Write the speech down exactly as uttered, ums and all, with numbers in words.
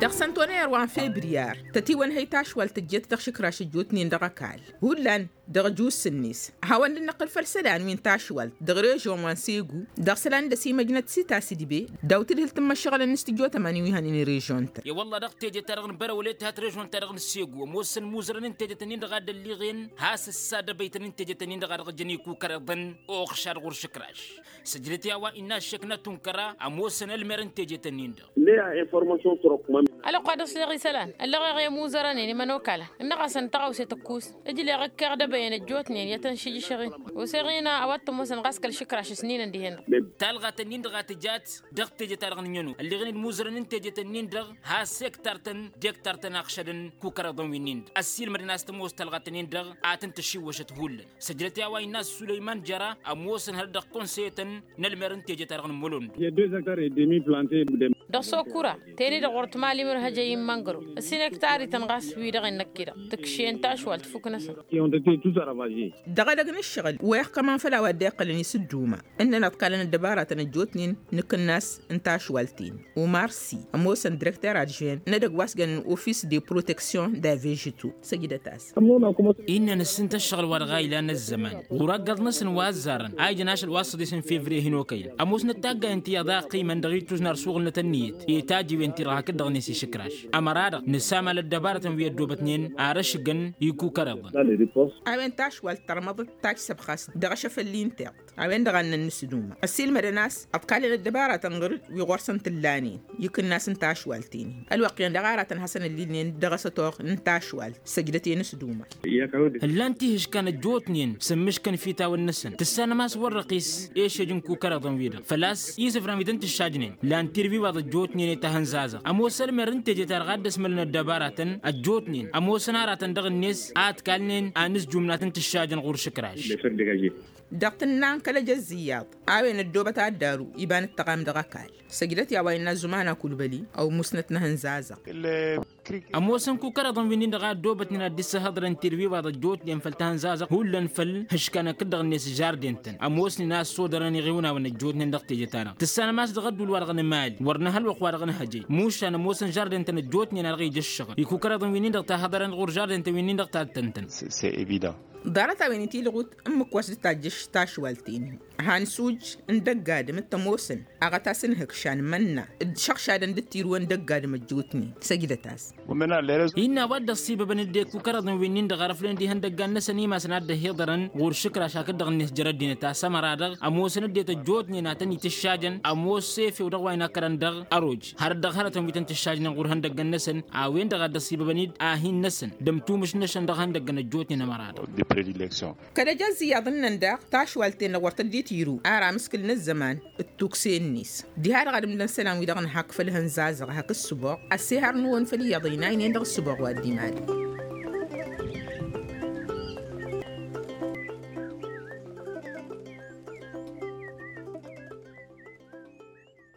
Dăɣ-săn tonăyăr wa n-febriyar tătiwănhăy tašwalt tǝjjet dăɣ-išǝkraš ăjjootnen dăɣ-ăkall hullan dăɣ-ăjuss-net. Hawăn-dd-năqqǝl făll-isălan wi n-tašwalt dăɣ-režon wa n-segu dăɣ-isălan d-ăsimăjnăt s-itas idbe daw-tǝdhǝl tǝmmăššăɣǝlăn s-tǝjjotămăn i-wi hănen režon-tăn. E-wălla dăɣ-teje-ta-dăɣ n-bărăwăle tǝhat režon-ta-dăɣ n-segu ămoosăn imuzărăn n-teje-tăn-in-dăɣ a dd-ălliɣen has-ǝssa dăbăytăn n-teje-tăn-in-dăɣ a dăɣ-jăn ikukăreḍăn. Oɣšad ɣur-išǝkraš săjdăt i-a-wa innă ăššek n-atunkăra ămoosăn ălmer n-teje-tăn-in-dăɣ. Ălwăqq wa dăɣ-sleɣ isălan ăllăɣeɣ i-imuzărăn-en imănokalăn ǝnnăɣ-asăn tăɣawse tǝkkus. Ǝjleɣ ǝkkeɣ dăbăyăn ăjjootnen i-ad-tăn-šǝjjǝšăɣ-in. Oseɣ-in a-wa t-ămoosăn ɣas kăl-išǝkraš s-ninăn dihen-dăɣ. Talɣa-tăn-in-dăɣ a tǝjat dăɣ-teje-ta-dăɣ n-ǝnjăno ălliɣen-dd imuzărăn n-teje-tăn-in-dăɣ has-ektar-tăn d-ektar-tăn a ăɣšădăn kukăreḍăn wi-nin-dăɣ ăssiilmădăn a-s tămoos talɣa-tăn-in-dăɣ a tăn-tǝššiwwăšăt hullan. Săjdăt i-a-wa innă ăssulăyman jăra ămoosăn hărăt dăɣ-konsăyătăn n-ălmer n-teje-ta-dăɣ n-imălon-dăɣ. Dăɣ-sokura teni-dăɣ wăr tǝmal imǝrhăjăy n-măngrăw ăssinăktarităn ɣas wi-dăɣ innă ăkk'-i-dăɣ tǝkšen tašwalt fuknăsăn. Dăɣ-edăgg n-ǝššăɣǝl wa iqqălăn isǝdduma ǝnnăn ăḍkalăn ăddăbaratăn ăjjootnen n-akǝnnas n-tašwalt-in. Umar si ămoosăn direkter adžwen n-edăgg wa s-jănen ofis de proteksyon da vežito. Săjdăt-as. Innă nǝssǝntă ǝššăɣǝl wa dăɣ-a ilan ăzzăman ɣur-ăggaḍ-năsăn wa ăzzarăn a ijăn ašăl wa s-săḍisăn fevriye hin-okăyăn ămoosnăt taggayen ti iyyăḍ a ăqqimăn dăɣ-ituznar suɣǝlnăt ănniyăt i-tajiwen-ti-dăɣ hakd dăɣ-net išǝkraš. Ămăra-dăɣ nǝsamal ăddăbarătăn wi ăddoobătnen ar ăšgăn ikukăreḍăn. A-wen tašwalt tărmăḍăt tajj săbxas dăɣ-ašăfălli n-tiḍt a-wen-dăɣ a ǝnnăn nǝsǝduma ăssiilmădăn a-s ăḍkalăn ăddăbaratăn ɣǝr-dd wi ɣur-săn t-ǝllanen. Ikǝnnas n-tašwalt-in-in ălwăqq-en dăɣ-aratăn hasăn-ǝllilnen dăɣ-asătoɣ n-tašwalt săjdăt-en s-duma. Ǝllan tihǝškan ăjjootnen s-ǝmmǝškăn fitawăn-năsăn tǝssanăm a-s wăr răqis ešej n-kukăreḍăn-wi-dăɣ făl-a-s isǝfran wi tăn-tǝššajnen. Lan tirbiwaḍ ăjjootnen i-tahănzazăɣ ămoos ălmer n-teje-ta-dăɣ a dd-ăsmălăn ăddăbaratăn ăjjootnen ămoosăn aratăn dăɣ-net a ătkalnen anǝzjum n-ad-tăn-tǝššajăn ɣur-išǝkraš. Dăɣ-tǝnna n-kăl-ejăzz iyyăḍ a-wen ăddoobăt ad-daru iba n-ǝttăɣam dăɣ-ăkall. Săjdăt i-a-wa innă ăzzuman akulbăli ăw musnăt n-ehăn zazăɣ. Ămoosăn kukăreḍăn wi-nin-dăɣ a ăddoobătnen ad-dd-issăhăḍrăn tirwiwaḍ ăjjootnen făll-tehăn zazăɣ hullan făll-hǝškanăn kăl-dăɣ-net žarden-tăn ămoosnen a ăssodărăn iɣiwnawăn ăjjootnen dăɣ-teje-ta-dăɣ tǝssanăm a-s dăɣ-ădduul-wa-dăɣ n-emali wăr nǝha ălwăqq-wa-dăɣ n-hăjăy. Mušan ămoosăn žarden-tăn ăjjootnen a dăɣ-ija ǝššăɣǝl ikukăreḍăn wi-nin-dăɣ tahăḍărăn ɣur-žarden-tăn wi-nin-dăɣ tattăn-tăn. Ăḍarăt a-wen itilɣut ǝmmǝk wa s-dd-tajjăš tašwalt-in-in. Hansuj n-dăgg-adǝm d-tămoosăn aɣătas n-ihǝkšan mănna d-išăɣšadăn d-tirǝwăn dăgg-adǝm ăjjootnen. Săjdăt-as. Innă a-wa dd-ăṣṣibăbăn dd-ekukăreḍăn wi-nin-dăɣ arăflăn d-ihăndăggan-năsăn imasăn ad-dd-ăhiḍărăn ɣur-išǝkraš hakd-dăɣ-net jer-ăddinăt a-s ămăra-dăɣ ămoosăn ăddinăt ăjjootnen a tăn-itǝššajăn ămoos efew dăɣ-wa inăkkărăn dăɣ-ăroj. Hărăt dăɣ-hărătăn wi tăn-tǝššajnen ɣur-ihăndăggăn-năsăn a-wen-dăɣ a dd-ăṣṣibăbăn-dd ahin-năsăn d-ămtumǝš-năšăn dăɣ-ihăndăggăn ăjjootnen ămăra-dăɣ. Kăl-ejăzz iyyăḍ ǝnnăn daɣ tašwalt-en-dăɣ wăr tăddet iru ar amǝskǝl n-ăzzăman d-tukse-net. Diha-dăɣ ad-ǝmdăn isălan-wi-dăɣ n-hak făll-ihănzazăɣ hak ǝssǝboɣ ăssihărnǝwăn făll-iyyăḍ ăynaynen dăɣ-ǝssǝboɣ wa dd-iman.